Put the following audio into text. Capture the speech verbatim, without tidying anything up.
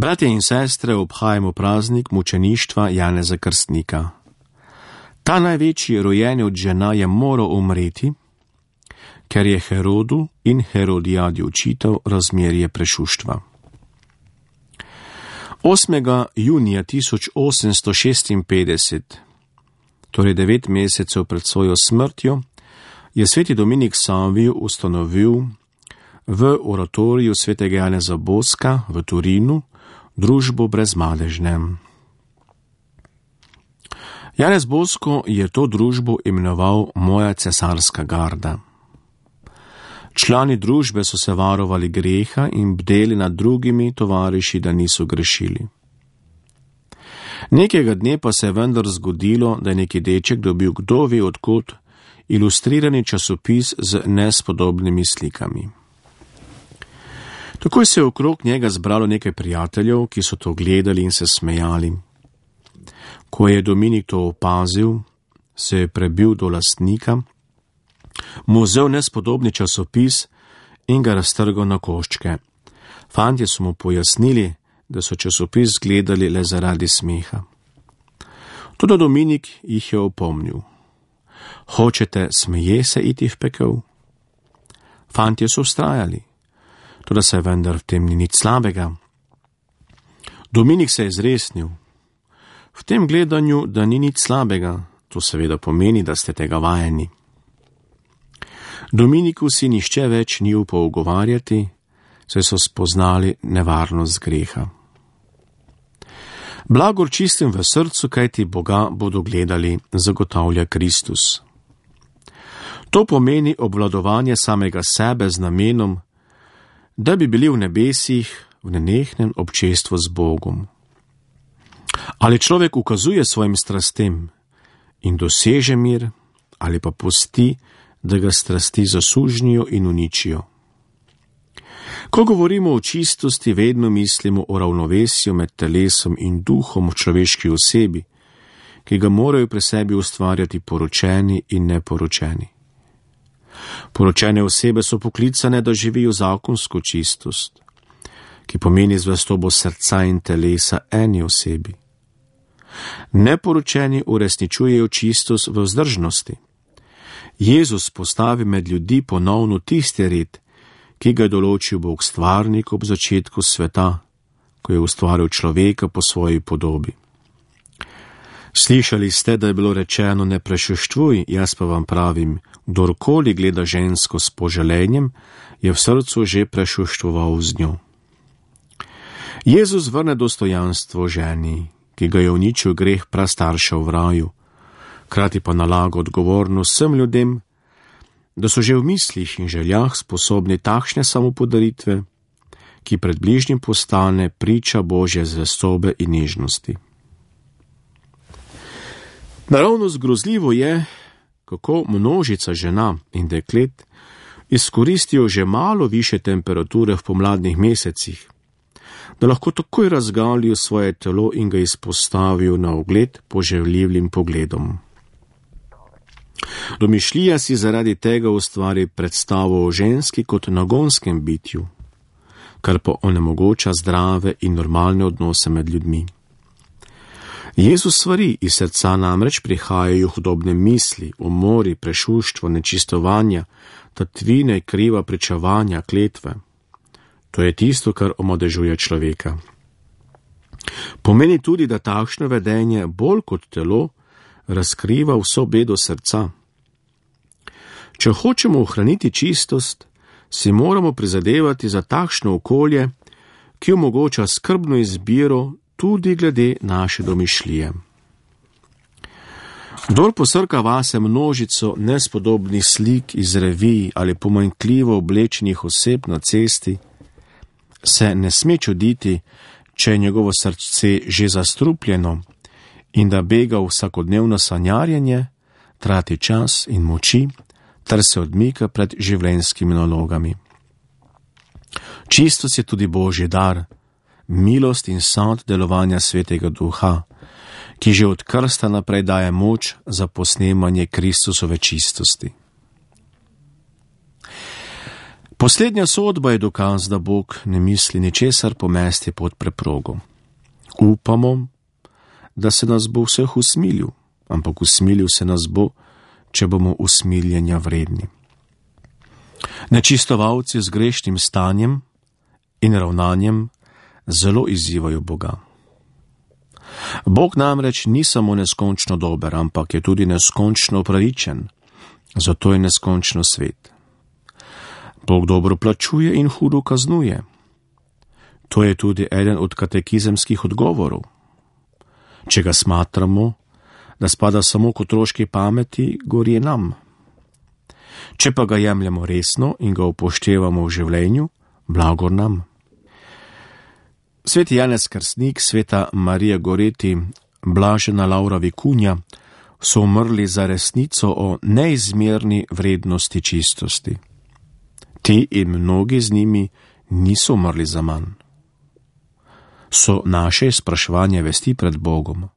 Bratje in sestre, obhajamo praznik mučeništva Janeza Krstnika. Ta največji rojeni od žena je moral umreti, ker je Herodu in Herodijadi očital razmerje prešuštva. osmega junija tisoč osemsto šestinpetdeset, torej devet mesecev pred svojo smrtjo, je sveti Dominik Savio ustanovil v oratoriju svetega Janeza Boska v Turinu družbo brezmadežne. Janez Bosko je to družbo imenoval Moja cesarska garda. Člani družbe so se varovali greha in bdeli nad drugimi tovariši, da niso grešili. Nekega dne pa se je vendar zgodilo, da je neki deček dobil kdo ve odkot ilustrirani časopis z nespodobnimi slikami. Takoj se je okrog njega zbralo nekaj prijateljev, ki so to gledali in se smejali. Ko je Dominik to opazil, se je prebil do lastnika, mu vzel nespodobni časopis in ga raztrgal na koščke. Fantje so mu pojasnili, da so časopis gledali le zaradi smeha. Toda Dominik jih je opomnil. Hočete smeje se iti v pekel? Fantje so vztrajali, toda se vendar v tem ni nič slabega. Dominik se je zresnil. V tem gledanju, da ni nič slabega, to seveda pomeni, da ste tega vajeni. Dominiku si nišče več ni upal ugovarjati, saj so spoznali nevarnost greha. Blagor čistim v srcu, kajti Boga bodo gledali, zagotavlja Kristus. To pomeni obvladovanje samega sebe z namenom, da bi bili v nebesih v nenehnem občestvu z Bogom. Ali človek ukazuje svojim strastem in doseže mir, ali pa pusti, da ga strasti zasužnijo in uničijo. Ko govorimo o čistosti, vedno mislimo o ravnovesju med telesom in duhom v človeški osebi, ki ga morajo pri sebi ustvarjati poročeni in neporočeni. Poročene osebe so poklicane, da živijo zakonsko čistost, ki pomeni zvestobo srca in telesa eni osebi. Neporočeni uresničujejo čistost v vzdržnosti. Jezus postavi med ljudi ponovno tisti red, ki ga je določil Bog stvarnik ob začetku sveta, ko je ustvaril človeka po svoji podobi. Slišali ste, da je bilo rečeno ne prešuštvuj, jaz pa vam pravim, kdorkoli gleda žensko s poželenjem, je v srcu že prešuštvoval z njo. Jezus vrne dostojanstvo ženi, ki ga je uničil greh prastaršev v raju, krati pa nalaga odgovornost vsem ljudem, da so že v mislih in željah sposobni takšne samopodaritve, ki pred bližnjim postane priča Božje zvestobe in nežnosti. Naravnost grozljivo je, kako množica žena in deklet izkoristijo že malo više temperature v pomladnih mesecih, da lahko takoj razgalijo svoje telo in ga izpostavijo na ogled poželjivim pogledom. Domišljija si zaradi tega ustvari predstavo o ženski kot nagonskem bitju, kar pa onemogoča zdrave in normalne odnose med ljudmi. Jezus svari, iz srca namreč prihajajo hudobne misli, umori, prešuštvo, nečistovanja, tatvine, kriva pričevanja, kletve. To je tisto, kar omadežuje človeka. Pomeni tudi, da takšno vedenje bolj kot telo razkriva vso bedo srca. Če hočemo ohraniti čistost, si moramo prizadevati za takšno okolje, ki omogoča skrbno izbiro tudi glede naše domišljije. Kdor posrka vase množico nespodobnih slik iz revij ali pomanjkljivo oblečenih oseb na cesti, se ne sme čuditi, če je njegovo srce že zastrupljeno in da bega v vsakodnevno sanjarjenje, trati čas in moči, ter se odmika pred življenjskimi nalogami. Čistost je tudi Božji dar, milost in sad delovanja Svetega Duha, ki že od krsta naprej daje moč za posnemanje Kristusove čistosti. Poslednja sodba je dokaz, da Bog ne misli ničesar pomesti pod preprogo. Upamo, da se nas bo vseh usmilil, ampak usmilil se nas bo, če bomo usmiljenja vredni. Nečistovalci z grešnim stanjem in ravnanjem zelo izzivajo Boga. Bog namreč ni samo neskončno dober, ampak je tudi neskončno pravičen, zato je neskončno svet. Bog dobro plačuje in hudo kaznuje. To je tudi eden od katekizemskih odgovorov. Če ga smatramo, da spada samo k otroški pameti, gori nam. Če pa ga jemljemo resno in ga upoštevamo v življenju, blagor nam. Sveti Janez Krstnik, sveta Marija Goreti, blažena Laura Vikunja so umrli za resnico o neizmerni vrednosti čistosti. Ti in mnogi z njimi niso umrli za manj. So naše spraševanje vesti pred Bogom.